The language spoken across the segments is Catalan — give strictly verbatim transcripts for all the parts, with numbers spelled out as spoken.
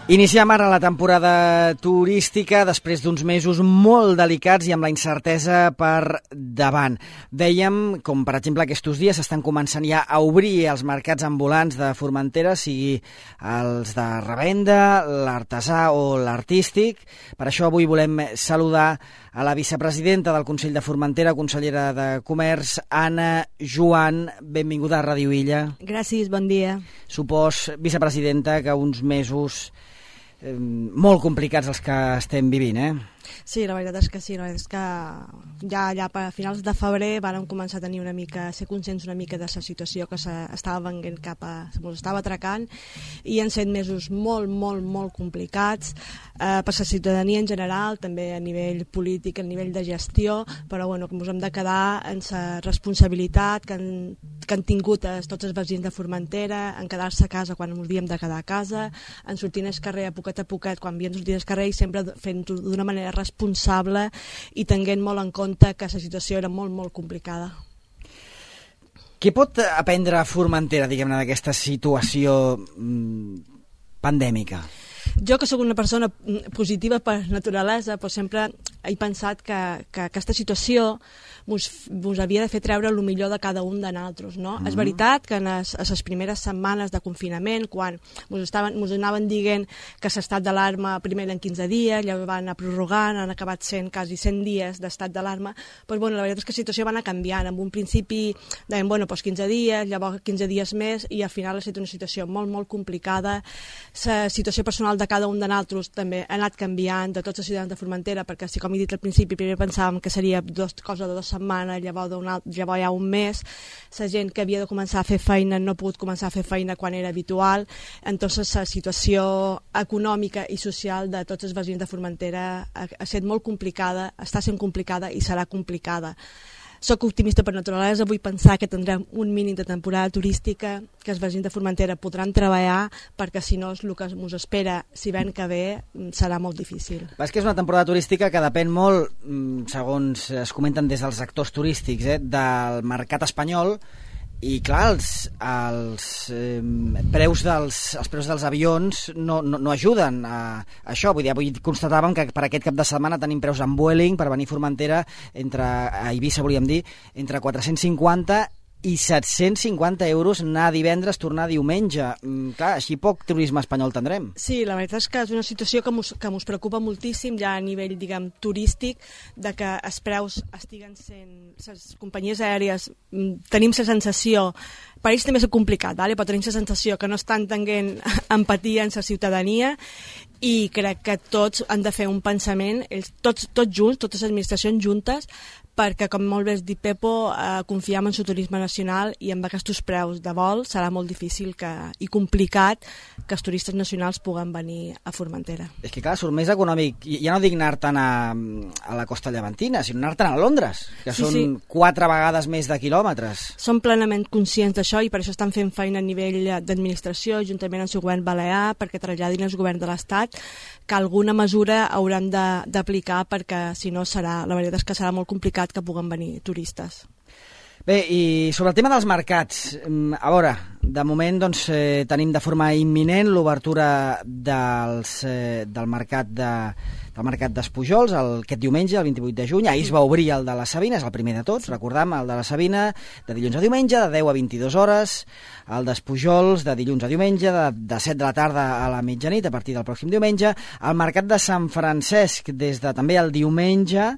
Iniciem ara la temporada turística després d'uns mesos molt delicats i amb la incertesa per davant. Dèiem, com per exemple aquests dies estan començant ja a obrir els mercats ambulants de Formentera, sigui els de revenda, l'artesà o l'artístic. Per això avui volem saludar a la vicepresidenta del Consell de Formentera, consellera de Comerç, Anna Joan. Benvinguda a Ràdio Illa. Gràcies, bon dia. Supos, vicepresidenta, que uns mesos eh, molt complicats els que estem vivint, eh? Sí, la veritat és que sí, la veritat és que ja, ja a finals de febrer vàrem començar a tenir una mica, a ser conscients una mica de la situació que s'estava venint cap a, ens estava atracant, i han set mesos molt, molt, molt complicats eh, per la ciutadania en general, també a nivell polític, a nivell de gestió, però bueno, que ens hem de quedar en la responsabilitat que han, que han tingut els, tots els veïns de Formentera, en quedar-se a casa quan ens havíem de quedar a casa, en sortir al carrer a poquet a poquet quan havíem de sortir al carrer, i sempre fent-ho d'una manera responsable i tenint molt en compte que la situació era molt, molt complicada. Què pot aprendre Formentera, diguem-ne, d'aquesta situació mm, pandèmica? Jo, que sóc una persona positiva per naturalesa, però sempre he pensat que, que aquesta situació ens havia de fer treure el millor de cada un de nosaltres, no? Mm-hmm. És veritat que en les, les primeres setmanes de confinament, quan ens anaven dient que l'estat d'alarma primer eren quinze dies, llavors van anar prorrogant, han acabat sent quasi cent dies d'estat d'alarma, però bueno, la veritat és que la situació va anar canviant. En un principi deien, bueno, doncs quinze dies, llavors quinze dies més, i al final ha estat una situació molt, molt complicada. La situació personal de cada un de nosaltres també ha anat canviant, de tots els ciutadans de Formentera, perquè si, com he dit al principi, primer pensàvem que seria dos, cosa de dues setmanes, llavors, llavors ja un mes, la gent que havia de començar a fer feina no ha pogut començar a fer feina quan era habitual, entonces la situació econòmica i social de tots els veïns de Formentera ha, ha estat molt complicada, està sent complicada i serà complicada. Soc optimista per naturalesa, vull pensar que tindrem un mínim de temporada turística, que els veïns de Formentera podran treballar, perquè si no el que ens espera, si ven que ve, serà molt difícil. És que és una temporada turística que depèn molt, segons es comenten des dels actors turístics, eh, del mercat espanyol, i clar, els, els, eh, preus dels, els preus dels avions no, no, no ajuden a, a això. Vull dir, avui constatàvem que per aquest cap de setmana tenim preus en Vueling per venir a Formentera, entre, a Eivissa volíem dir, entre quatre-cents cinquanta i set-cents cinquanta euros anar divendres, tornar diumenge. Mm, clar, així poc turisme espanyol tindrem. Sí, la veritat és que és una situació que mos, que mos preocupa moltíssim ja a nivell, diguem, turístic, de que els preus estiguen sent... Les companyies aèries tenim la sensació, per ells també és complicat, vale? Però tenim la sensació que no estan tenint empatia en la ciutadania, i crec que tots han de fer un pensament, ells, tots, tots junts, totes les administracions juntes, perquè, com molt bé has dit, Pepo, eh, confiem en el turisme nacional, i amb aquests preus de vol serà molt difícil que, i complicat que els turistes nacionals puguen venir a Formentera. És que clar, surt més econòmic, ja no dic anar-te'n a, a la costa llevantina, sinó anar-te'n a Londres, que sí, són sí. quatre vegades més de quilòmetres. Som plenament conscients d'això, i per això estan fent feina a nivell d'administració, juntament amb el govern balear, perquè traslladin al govern de l'Estat que alguna mesura hauran d'aplicar, perquè si no serà, la veritat és que serà molt complicat que puguen venir turistes. Bé, i sobre el tema dels mercats, a veure, de moment doncs, eh, tenim de forma imminent l'obertura dels, eh, del mercat de, del mercat d'Espujols el, aquest diumenge, el vint-i-vuit de juny. Ahir es va obrir el de la Sabina, és el primer de tots, recordam, el de la Sabina, de dilluns a diumenge, de deu a vint-i-dues hores, el d'Espujols, de dilluns a diumenge, de, de set de la tarda a la mitjanit, a partir del pròxim diumenge, el mercat de Sant Francesc, des de també el diumenge,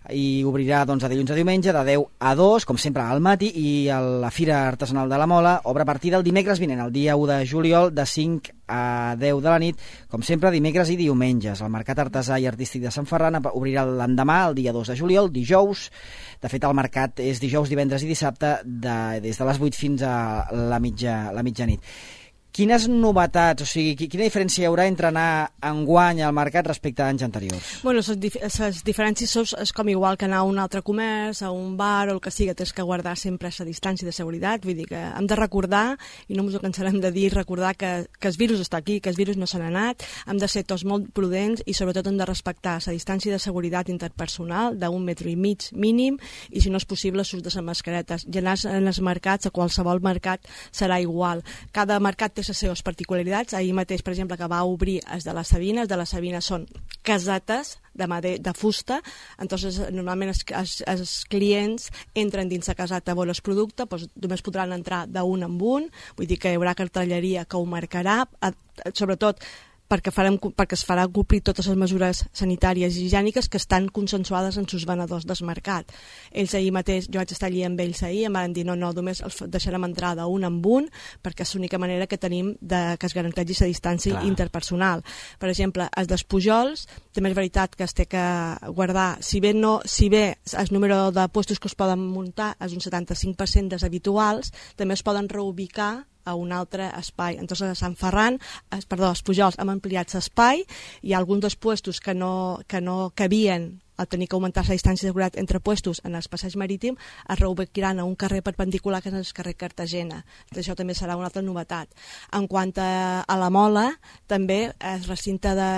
i obrirà doncs, de dilluns a diumenge de deu a dos, com sempre al matí, i la Fira Artesanal de la Mola obre a partir del dimecres vinent, el dia u de juliol, de cinc a deu de la nit, com sempre dimecres i diumenges. El Mercat Artesà i Artístic de Sant Ferran obrirà l'endemà, el dia dos de juliol, dijous. De fet, el mercat és dijous, divendres i dissabte, de, des de les vuit fins a la, mitja, la mitjanit. Quines novetats, o sigui, quina diferència hi haurà entre anar enguany al mercat respecte a anys anteriors? Bueno, les, dif les diferències són és com igual que anar a un altre comerç, a un bar o el que sigui, tens que guardar sempre la distància de seguretat. Vull dir que hem de recordar, i no ens ho cansarem de dir, recordar que, que el virus està aquí, que el virus no se n'ha anat, hem de ser tots molt prudents i sobretot hem de respectar la distància de seguretat interpersonal d'un metre i mig mínim, i si no és possible l'ús de les mascaretes. I anar en els mercats, a qualsevol mercat, serà igual. Cada mercat té les seves particularitats. Ahir mateix, per exemple, que va obrir els de la Sabina, els de la Sabina són casetes de, made, de fusta, entonces normalment els, els, els clients entren dins la caseta a veure el producte, doncs només podran entrar d'un en un, vull dir que hi haurà cartelleria que ho marcarà, sobretot perquè, farem, perquè es farà complir totes les mesures sanitàries i higièniques que estan consensuades en sus venedors del mercat. Ells ahir mateix, jo vaig estar allà amb ells ahir, em van dir no, no, només els deixarem entrar d'un en un perquè és l'única manera que tenim de que es garanteixi la distància Clar. interpersonal. Per exemple, els dels Pujols, també és veritat que es té que guardar, si bé, no, si bé el número de puestos que es poden muntar és un setanta-cinc per cent dels habituals, també es poden reubicar a un altre espai. Entonces, a Sant Ferran, es, perdó, els Pujols han ampliat l'espai, hi ha alguns dels puestos que no, que no cabien al tenir que augmentar la distància de seguretat entre puestos en el passeig marítim, es reubicaran a un carrer perpendicular que és el carrer Cartagena. Això també serà una altra novetat. En quant a, a la Mola, també el recinte de,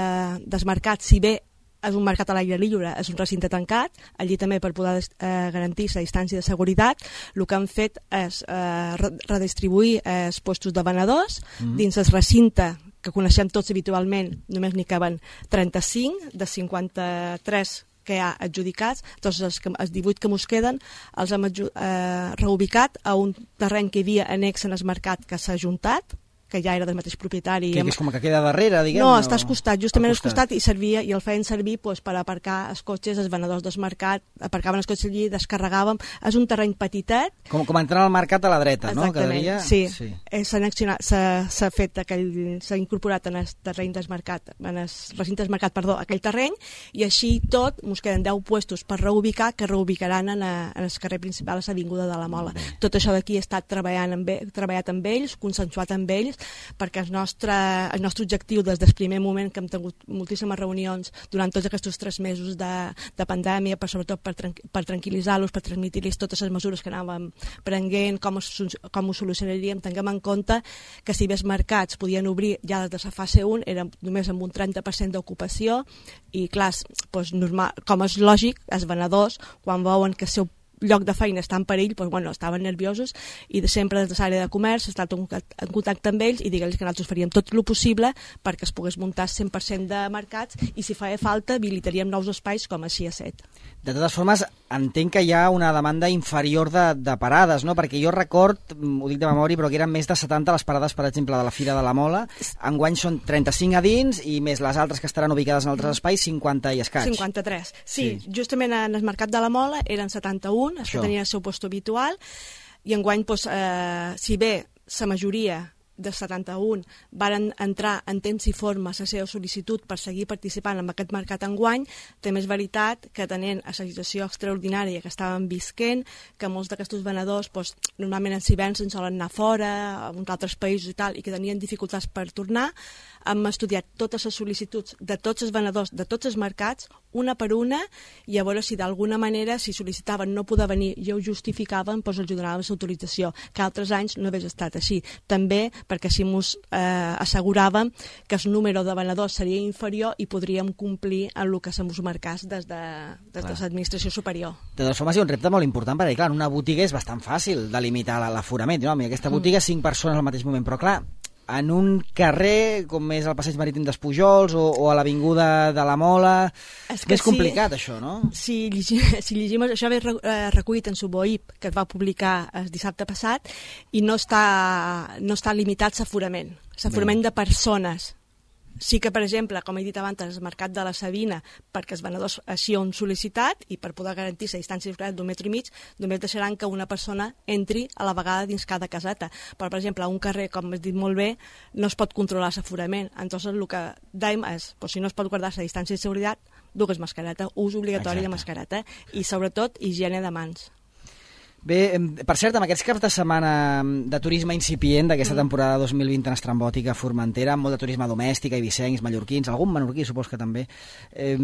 dels mercats, si bé és un mercat a l'aire lliure, és un recinte tancat, allí també per poder eh, garantir la distància de seguretat, el que han fet és eh, redistribuir els puestos de venedors mm. dins el recinte que coneixem tots habitualment, només n'hi caben trenta-cinc de cinquanta-tres que hi ha adjudicats, doncs els, els divuit que mos queden els hem eh, reubicat a un terreny que hi havia annex en el mercat que s'ha ajuntat, que ja era del mateix propietari. Que, que és com que queda darrere, diguem? No, està al costat, justament al costat, i servia i el feien servir pues, per aparcar els cotxes, els venedors del mercat, aparcaven els cotxes allí, descarregàvem. És un terreny petitet. Com, com entrar al mercat a la dreta, Exactament, no? Quedaria... sí. sí. S'ha fet aquell, s'ha incorporat en el terreny del mercat, en el recinte del mercat, perdó, aquell terreny, i així tot, ens queden deu puestos per reubicar, que reubicaran en, a, en el carrer principal, a l'Avinguda de la Mola. Bé. Tot això d'aquí he estat treballant amb, treballat amb ells, consensuat amb ells, perquè el nostre, el nostre objectiu des del primer moment que hem tingut moltíssimes reunions durant tots aquests tres mesos de, de pandèmia, per, sobretot per, per tranquil·litzar-los, per transmitir-los totes les mesures que anàvem prenent, com, com ho solucionaríem. Tinguem en compte que si bé els mercats podien obrir ja des de la fase un, era només amb un trenta per cent d'ocupació i clar, doncs, normal, com és lògic, els venedors, quan veuen que el seu lloc de feina està en perill, doncs, bueno, estaven nerviosos i de sempre des de l'àrea de comerç he estat en contacte amb ells i digue'ls que nosaltres faríem tot el possible perquè es pogués muntar cent per cent de mercats i si feia falta habilitaríem nous espais com així a set. De totes formes, entenc que hi ha una demanda inferior de, de parades, no? Perquè jo record, ho dic de memòria, però que eren més de setanta les parades, per exemple, de la Fira de la Mola. Enguany són trenta-cinc a dins i més les altres que estaran ubicades en altres espais, cinquanta i escaig. cinquanta-tres. Sí, sí, justament en el mercat de la Mola eren setanta-un, els que tenien el seu lloc habitual, i enguany, doncs, eh, si bé la majoria de setanta-un varen entrar en temps i forma la seva sol·licitud per seguir participant en aquest mercat enguany, també és veritat que tenint la situació extraordinària que estàvem visquent, que molts d'aquests venedors doncs, normalment en hiverns en solen anar fora, a uns altres països i tal, i que tenien dificultats per tornar, hem estudiat totes les sol·licituds de tots els venedors de tots els mercats, una per una, i a veure si d'alguna manera, si sol·licitaven no poder venir i ho justificaven, doncs els donàvem l'autorització, que altres anys no hagués estat així. També perquè així ens eh, asseguràvem que el número de venedors seria inferior i podríem complir en el que se'ns marcés des de, des de l'administració superior. De totes formes, hi ha un repte molt important, perquè clar, en una botiga és bastant fàcil delimitar l'aforament. No? Mira, aquesta botiga, cinc persones al mateix moment, però clar, en un carrer, com és el passeig marítim dels Pujols o, o a l'Avinguda de la Mola, és més sí, complicat, això, no? Si llegim, si llegim això ve recollit en Suboip, que es va publicar el dissabte passat, i no està, no està limitat l'aforament, l'aforament de persones. Sí que, per exemple, com he dit abans, el mercat de la Sabina, perquè els venedors així ho han sol·licitat i per poder garantir la distància d'un metre i mig, només deixaran que una persona entri a la vegada dins cada caseta. Però, per exemple, a un carrer, com has dit molt bé, no es pot controlar l'aforament. Entonces, el que dèiem és, pues, si no es pot guardar la distància de seguretat, dues mascareta, ús obligatori Exacte. de mascareta i, sobretot, higiene de mans. Bé, per cert, amb aquests caps de setmana de turisme incipient d'aquesta temporada dos mil vint en estrambòtica a Formentera, amb molt de turisme domèstic, eivissencs, mallorquins, algun menorquí supos que també, eh,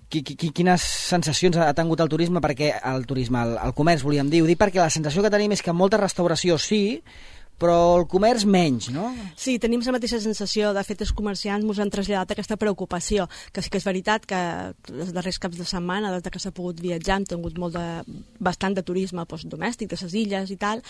qui, qui, quines sensacions ha tingut el turisme? Perquè el turisme, el, el comerç, volíem dir, ho dic perquè la sensació que tenim és que molta restauració sí, però el comerç menys, no? Sí, tenim la mateixa sensació. De fet, els comerciants ens han traslladat aquesta preocupació, que sí que és veritat que els darrers caps de setmana, des que s'ha pogut viatjar, hem tingut molt de, bastant de turisme doncs, domèstic, de les illes i tal.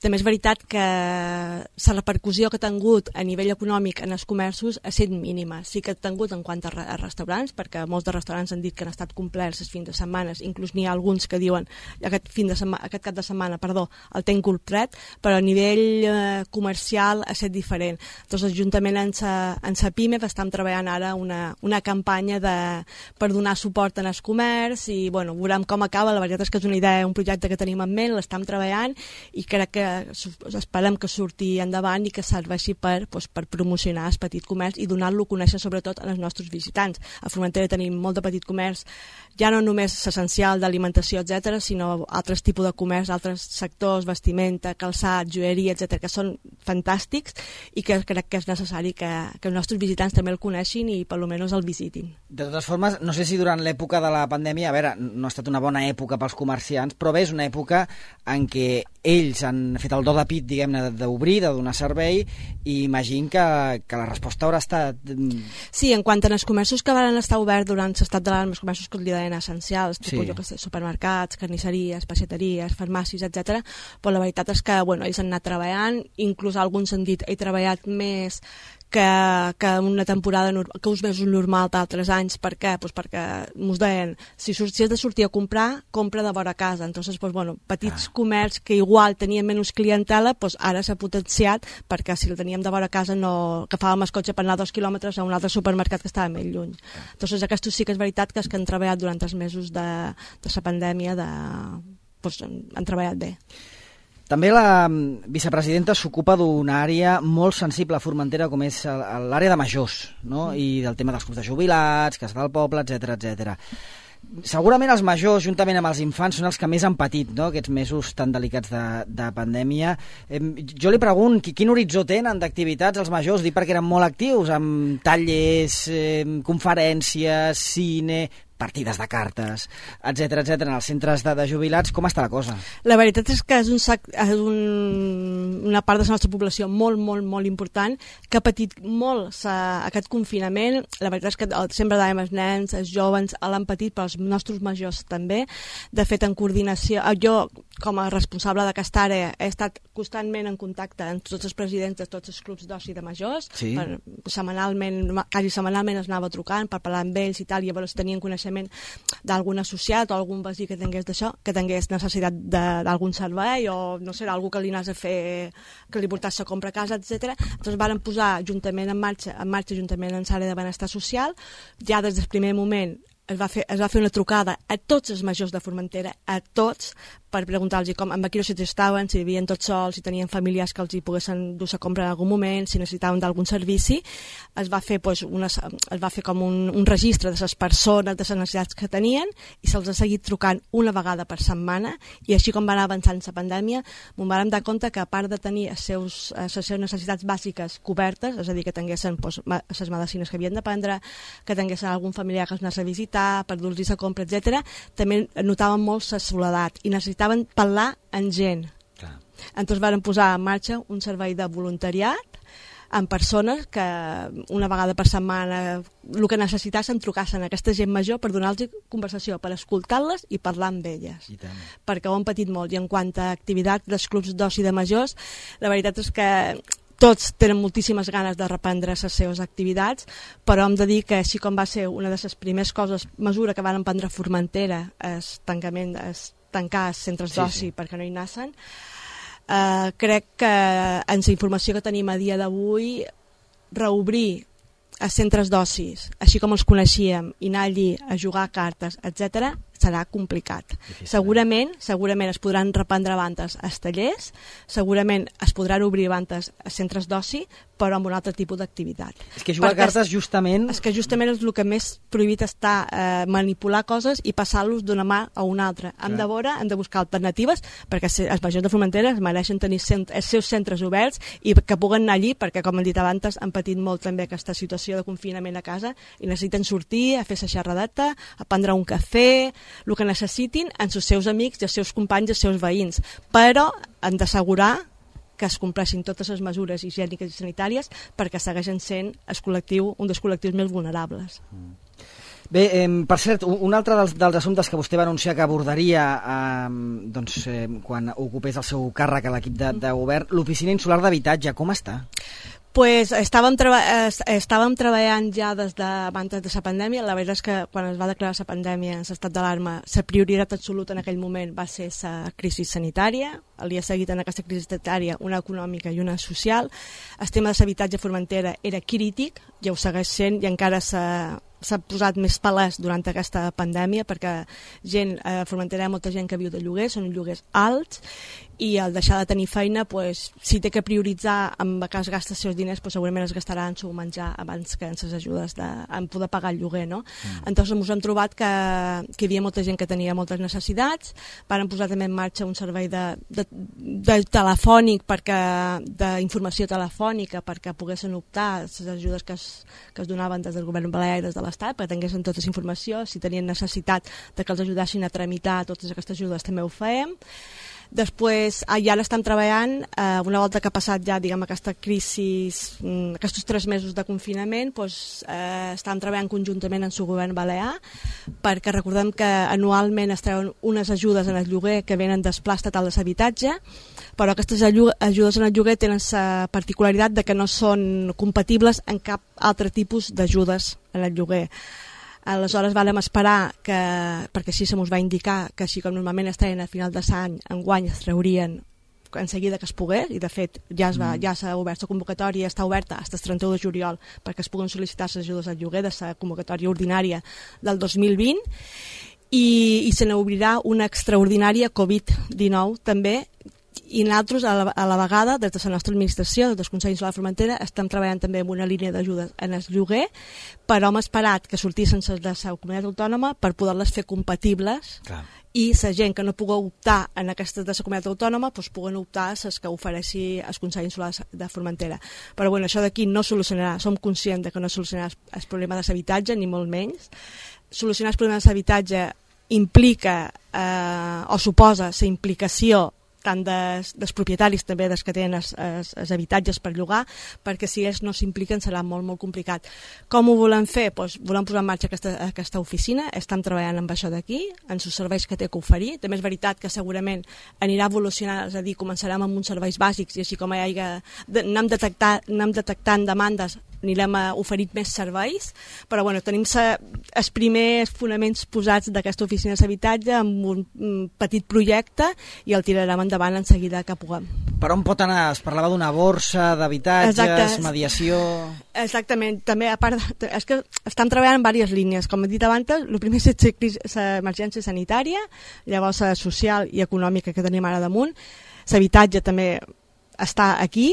També és veritat que la repercussió que ha tingut a nivell econòmic en els comerços ha estat mínima. Sí que ha tingut en quant a, re a restaurants, perquè molts de restaurants han dit que han estat complerts els fins de setmana, inclús n'hi ha alguns que diuen aquest, fin de aquest cap de setmana perdó, el tenc complet, però a nivell comercial ha estat diferent. Doncs juntament amb sa, amb sa PIME estem treballant ara una, una campanya de, per donar suport en el comerç i bueno, veurem com acaba. La veritat és que és una idea, un projecte que tenim en ment, l'estem treballant i crec que esperem que surti endavant i que serveixi per, doncs, per promocionar el petit comerç i donar-lo a conèixer sobretot als nostres visitants. A Formentera tenim molt de petit comerç, ja no només l'essencial d'alimentació, etcètera, sinó altres tipus de comerç, altres sectors, vestimenta, calçat, joieria, etcètera, que són fantàstics i que crec que és necessari que, que els nostres visitants també el coneixin i per almenys el visitin. De totes formes, no sé si durant l'època de la pandèmia, a veure, no ha estat una bona època pels comerciants, però bé, és una època en què ells han fet el do de pit, diguem-ne, d'obrir, de donar servei, i imagino que, que la resposta haurà estat... Sí, en quant als comerços que van estar oberts durant l'estat d'alarma, els comerços que li deien essencials, sí. tipus, jo que sé, supermercats, carnisseries, peixateries, farmàcies, etcètera, però la veritat és que bueno, ells han anat treballant, inclús alguns han dit he treballat més que, que una temporada, que uns mesos normal d'altres anys. Per què? Pues perquè ens deien, si, si has de sortir a comprar, compra de vora casa. Entonces, pues, bueno, petits ah. comerç que igual tenien menys clientela, pues, ara s'ha potenciat perquè si el teníem de vora casa no agafàvem el cotxe per anar dos quilòmetres a un altre supermercat que estava més lluny. Ah. Entonces, aquests sí que és veritat que els que han treballat durant els mesos de, de la pandèmia de, pues, han, han treballat bé. També la vicepresidenta s'ocupa d'una àrea molt sensible a Formentera, com és l'àrea de majors, no? Mm. I del tema dels clubs de jubilats, Casa del Poble, etcètera, etcètera. Segurament els majors, juntament amb els infants, són els que més han patit, no?, aquests mesos tan delicats de, de pandèmia. Eh, jo li pregunto, quin horitzó tenen d'activitats els majors? Dic perquè eren molt actius, amb tallers, eh, conferències, cine... partides de cartes, etcètera, etcètera, en els centres de, de jubilats. Com està la cosa? La veritat és que és, un, és un, una part de la nostra població molt, molt, molt important, que ha patit molt aquest confinament. La veritat és que sempre dèiem els nens, els joves l'han patit, però els nostres majors també. De fet, en coordinació, jo com a responsable d'aquesta àrea he estat constantment en contacte amb tots els presidents de tots els clubs d'oci de majors. Sí. Per, setmanalment, quasi setmanalment es anava trucant per parlar amb ells i tal, i llavors tenien coneixement d'algun associat o algun veí que tingués d'això, que tingués necessitat d'algun servei o no sé, algú que li anés a fer, que li portàs a compra a casa, etcètera. Doncs varen posar juntament en marxa, en marxa juntament amb l'àrea de benestar social. Ja des del primer moment es va fer, es va fer una trucada a tots els majors de Formentera, a tots, per preguntar-los com, en quina situació estaven, si vivien tots sols, si tenien familiars que els hi poguessin dur a comprar en algun moment, si necessitaven d'algun servici. Es va fer, pues, una, es va fer com un, un registre de les persones, de les necessitats que tenien, i se'ls ha seguit trucant una vegada per setmana, i així com va anar avançant la pandèmia, m'ho vam dar compte que a part de tenir les seus, les seves necessitats bàsiques cobertes, és a dir, que tinguessin pues, les medicines que havien de prendre, que tinguessin algun familiar que els anés a visitar, per dur-los a compra, etcètera, també notaven molt la soledat i necessitaven parlar amb gent. Clar. Entonces varen posar en marxa un servei de voluntariat amb persones que una vegada per setmana el que necessitassen trucassen a aquesta gent major per donar-los conversació, per escoltar-les i parlar amb elles. Perquè ho han patit molt. I en quant a activitat dels clubs d'oci de majors, la veritat és que tots tenen moltíssimes ganes de reprendre les seves activitats, però hem de dir que així com va ser una de les primeres coses, mesura que van prendre a Formentera, el tancament, es tancar els centres d'oci sí, sí. perquè no hi nassen, eh, crec que en la informació que tenim a dia d'avui, reobrir els centres d'ocis, així com els coneixíem, i anar allí a jugar a cartes, etcètera, serà complicat. Difícil. Segurament, segurament es podran reprendre bandes als tallers, segurament es podran obrir bandes a centres d'oci, però amb un altre tipus d'activitat. És que jugar a cartes justament... És que justament és el que més prohibit està, eh, manipular coses i passar-los d'una mà a una altra. Hem de veure, hem de buscar alternatives, perquè els majors de Formentera es mereixen tenir cent, els seus centres oberts i que puguen anar allí, perquè com hem dit abans, han patit molt també aquesta situació de confinament a casa i necessiten sortir, a fer la xerradeta, a prendre un cafè, el que necessitin amb els seus amics i els seus companys i els seus veïns, però han d'assegurar que es compleixin totes les mesures higièniques i sanitàries perquè segueixen sent el col·lectiu, un dels col·lectius més vulnerables. Mm. Bé, eh, per cert, un altre dels, dels assumptes que vostè va anunciar que abordaria eh, doncs, eh, quan ocupés el seu càrrec a l'equip de, de govern, l'Oficina Insular d'Habitatge, com està? Pues estàvem, treba estàvem treballant ja des d'abans de la pandèmia. La veritat és que quan es va declarar la pandèmia, l'estat d'alarma, la prioritat absoluta en aquell moment va ser la crisi sanitària. Li ha seguit en aquesta crisi sanitària una econòmica i una social. El tema de l'habitatge a Formentera era crític, ja ho segueix sent i encara s'ha posat més palès durant aquesta pandèmia perquè gent, a Formentera hi ha molta gent que viu de lloguer, són lloguers alts, i al deixar de tenir feina, pues, si té que prioritzar amb què es gasta els seus diners, pues, segurament es gastarà en seu menjar abans que en les ajudes de, en poder pagar el lloguer, no? Mm. Entonces ens hem trobat que, que hi havia molta gent que tenia moltes necessitats. Varen posar també en marxa un servei de, de, de telefònic perquè, d'informació telefònica perquè poguessin optar a les ajudes que es, que es donaven des del govern balear i des de l'Estat, perquè tinguessin tota la informació. Si tenien necessitat de que els ajudassin a tramitar totes aquestes ajudes també ho fèiem. Després, ja l'estem treballant, eh, una volta que ha passat ja, diguem, aquesta crisi, aquests tres mesos de confinament, doncs, eh, estem treballant conjuntament amb el govern balear, perquè recordem que anualment es treuen unes ajudes en el lloguer que venen del pla estatal de l'habitatge, però aquestes ajudes en el lloguer tenen la particularitat de que no són compatibles amb cap altre tipus d'ajudes en el lloguer. Aleshores vam esperar, que, perquè així se mos va indicar que així com normalment es treien a final de l'any, enguany es traurien en seguida que es pogués, i de fet ja s'ha ja obert la convocatòria, està oberta fins al trenta-u de juliol perquè es puguen sol·licitar les ajudes al lloguer de la convocatòria ordinària del dos mil vint, i, i se n'obrirà una extraordinària covid dinou també. I nosaltres, a la, a la vegada, des de la nostra administració, des del Consell Insular de Formentera, estem treballant també en una línia d'ajudes en el lloguer, però hem esperat que sortissin de la comunitat autònoma per poder-les fer compatibles. Clar. I la gent que no pugui optar en aquestes de la comunitat autònoma doncs puguen optar a les que ofereixi el Consell Insular de Formentera. Però bueno, això d'aquí no solucionarà, som conscients de que no solucionarà el problema de l'habitatge, ni molt menys. Solucionar el problema de l'habitatge implica eh, o suposa la implicació tant dels, dels propietaris també dels que tenen els, els, els habitatges per llogar, perquè si ells no s'impliquen serà molt molt complicat. Com ho volem fer? Pues, volem posar en marxa aquesta, aquesta oficina, estem treballant amb això d'aquí, en els serveis que té que oferir. També és veritat que segurament anirà evolucionant, és a dir, començarem amb uns serveis bàsics i així com hi hagi, anem, detectar, anem detectant demandes, anirem a oferir més serveis, però bueno, tenim sa, els primers fonaments posats d'aquesta oficina d'habitatge amb un, un petit projecte i el tirarem endavant en seguida que puguem. Per on pot anar? Es parlava d'una borsa d'habitatges, mediació... Exactament. També, a part, de, és que estem treballant en diverses línies. Com he dit abans, el primer és l'emergència sanitària, llavors la social i econòmica que tenim ara damunt. L'habitatge també està aquí,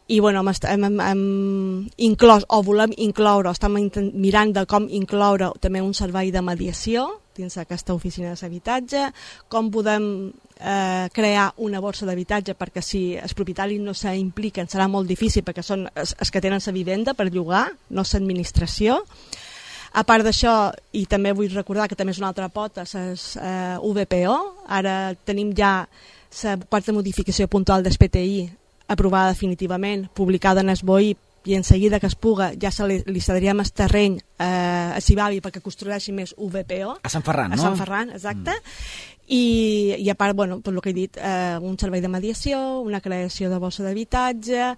i bueno, hem, hem, hem inclòs o volem incloure, estem mirant de com incloure també un servei de mediació dins aquesta oficina d'habitatge, com podem eh, crear una borsa d'habitatge perquè si els propietaris no s'impliquen serà molt difícil perquè són els, els que tenen la vivenda per llogar, no l'administració. A part d'això, i també vull recordar que també és una altra pota, les eh, U V P O, ara tenim ja la quarta modificació puntual del P T I aprovada definitivament, publicada en el B O I, i en seguida que es puga ja se li, li cediríem el terreny eh, a Cibavi perquè construeixi més U V P O. A Sant Ferran, no? A Sant Ferran, exacte. Mm. I, i a part, bueno, per el que he dit, eh, un servei de mediació, una creació de borsa d'habitatge,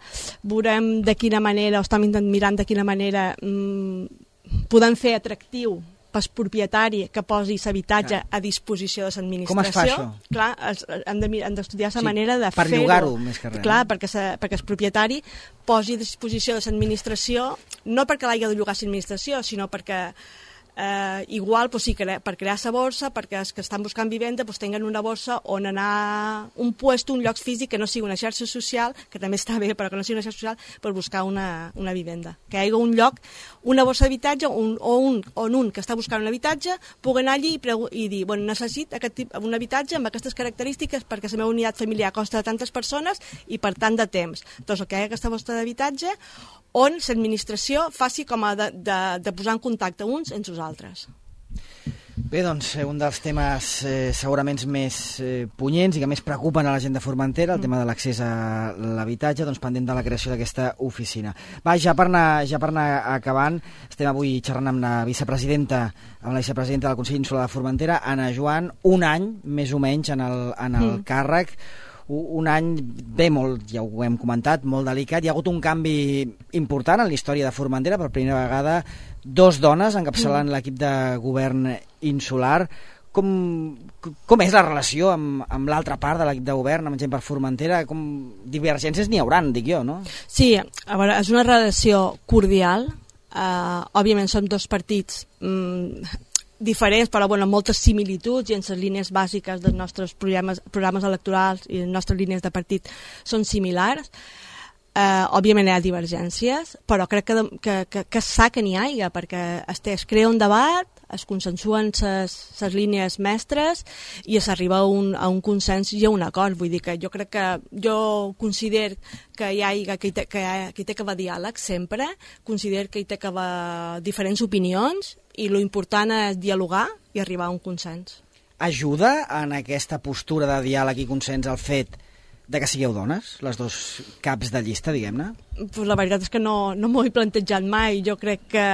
veurem de quina manera, o estem mirant de quina manera mm, podem fer atractiu pel propietari que posi l'habitatge a disposició de l'administració. Com es fa això? Clar, es, hem, de, hem d'estudiar la sí, manera de per fer-ho. Per llogar-ho, més que res. Clar, perquè, se, perquè el propietari posi a disposició de l'administració, no perquè l'hagi de llogar l'administració, sinó perquè eh, igual pues, sí, cre per crear la borsa, perquè els que estan buscant vivenda pues, tinguen una borsa on anar un puesto, un lloc físic que no sigui una xarxa social, que també està bé, però que no sigui una xarxa social, per buscar una, una vivenda. Que hi hagi un lloc, una borsa d'habitatge un, o un, on un que està buscant un habitatge pugui anar allí i, i dir, bueno, necessito aquest tip, un habitatge amb aquestes característiques perquè la meva unitat familiar costa de tantes persones i per tant de temps. Doncs que hi hagi aquesta borsa d'habitatge on l'administració faci com a de, de, de posar en contacte uns entre els altres. Bé, doncs, un dels temes eh, segurament més eh, punyents i que més preocupen a la gent de Formentera, el mm. tema de l'accés a l'habitatge, doncs pendent de la creació d'aquesta oficina. Va, ja per anar, ja per anar acabant, estem avui xerrant amb la vicepresidenta, amb la vicepresidenta del Consell Insular de Formentera, Anna Joan, un any, més o menys, en el, en el mm. càrrec, un any, bé, molt, ja ho hem comentat, molt delicat. Hi ha hagut un canvi important en la història de Formentera, per primera vegada, dos dones encapçalant mm. l'equip de govern insular. Com, com és la relació amb, amb l'altra part de l'equip de govern, amb gent per Formentera? Com divergències n'hi hauran, dic jo, no? Sí, a veure, és una relació cordial. Uh, òbviament som dos partits mm, diferents, però bueno, amb moltes similituds i en les línies bàsiques dels nostres programes, programes electorals i les nostres línies de partit són similars. Uh, òbviament hi ha divergències, però crec que, que, que, que és sa que n'hi hagi, perquè es, es crea un debat, es consensuen les línies mestres i s'arriba a, un, a un consens i a un acord. Vull dir que jo crec que jo considero que hi ha, que hi té, que hi ha, que hi té que haver diàleg sempre, considero que hi té que haver diferents opinions i lo important és dialogar i arribar a un consens. Ajuda en aquesta postura de diàleg i consens el fet de que sigueu dones, les dos caps de llista, diguem-ne? Pues la veritat és que no, no m'ho he plantejat mai. Jo crec que,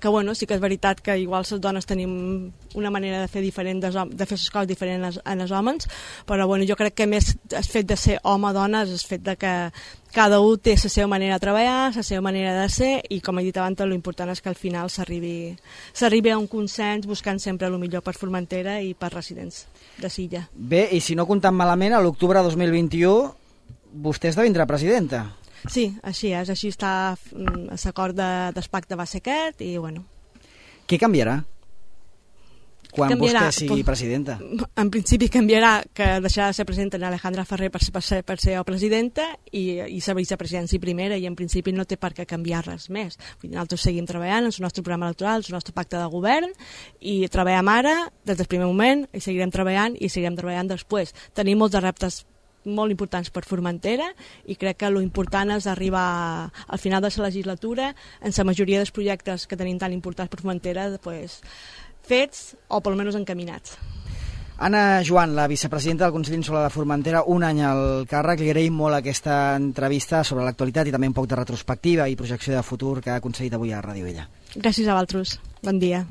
que bueno, sí que és veritat que igual les dones tenim una manera de fer diferent, de, de fer les coses diferents en els homes, però bueno, jo crec que més el fet de ser home-dona és el fet de que cada un té la seva manera de treballar, la seva manera de ser, i com he dit abans, l'important és que al final s'arribi a un consens buscant sempre el millor per Formentera i per residents de Silla. Bé, i si no comptant malament, a l'octubre de dos mil vint-i-u vostè esdevindrà presidenta. Sí, així és, així està, l'acord de, del pacte va ser aquest i bueno. Què canviarà quan canviarà, vostè sigui pues, presidenta? En principi canviarà que deixarà de ser presidenta en Alejandra Ferrer per, per, ser, per ser presidenta i, i ser vicepresidència primera, i en principi no té per què canviar res més. Nosaltres seguim treballant en el nostre programa electoral, en el nostre pacte de govern, i treballem ara des del primer moment i seguirem treballant i seguirem treballant després. Tenim molts reptes molt importants per Formentera i crec que l'important és arribar al final de la legislatura en la majoria dels projectes que tenim tan importants per Formentera pues, fets o per almenys encaminats. Anna Joan, la vicepresidenta del Consell Insular de Formentera, un any al càrrec. Li agraïm molt aquesta entrevista sobre l'actualitat i també un poc de retrospectiva i projecció de futur que ha aconseguit avui a Ràdio Ella. Gràcies a vosaltres. Bon dia.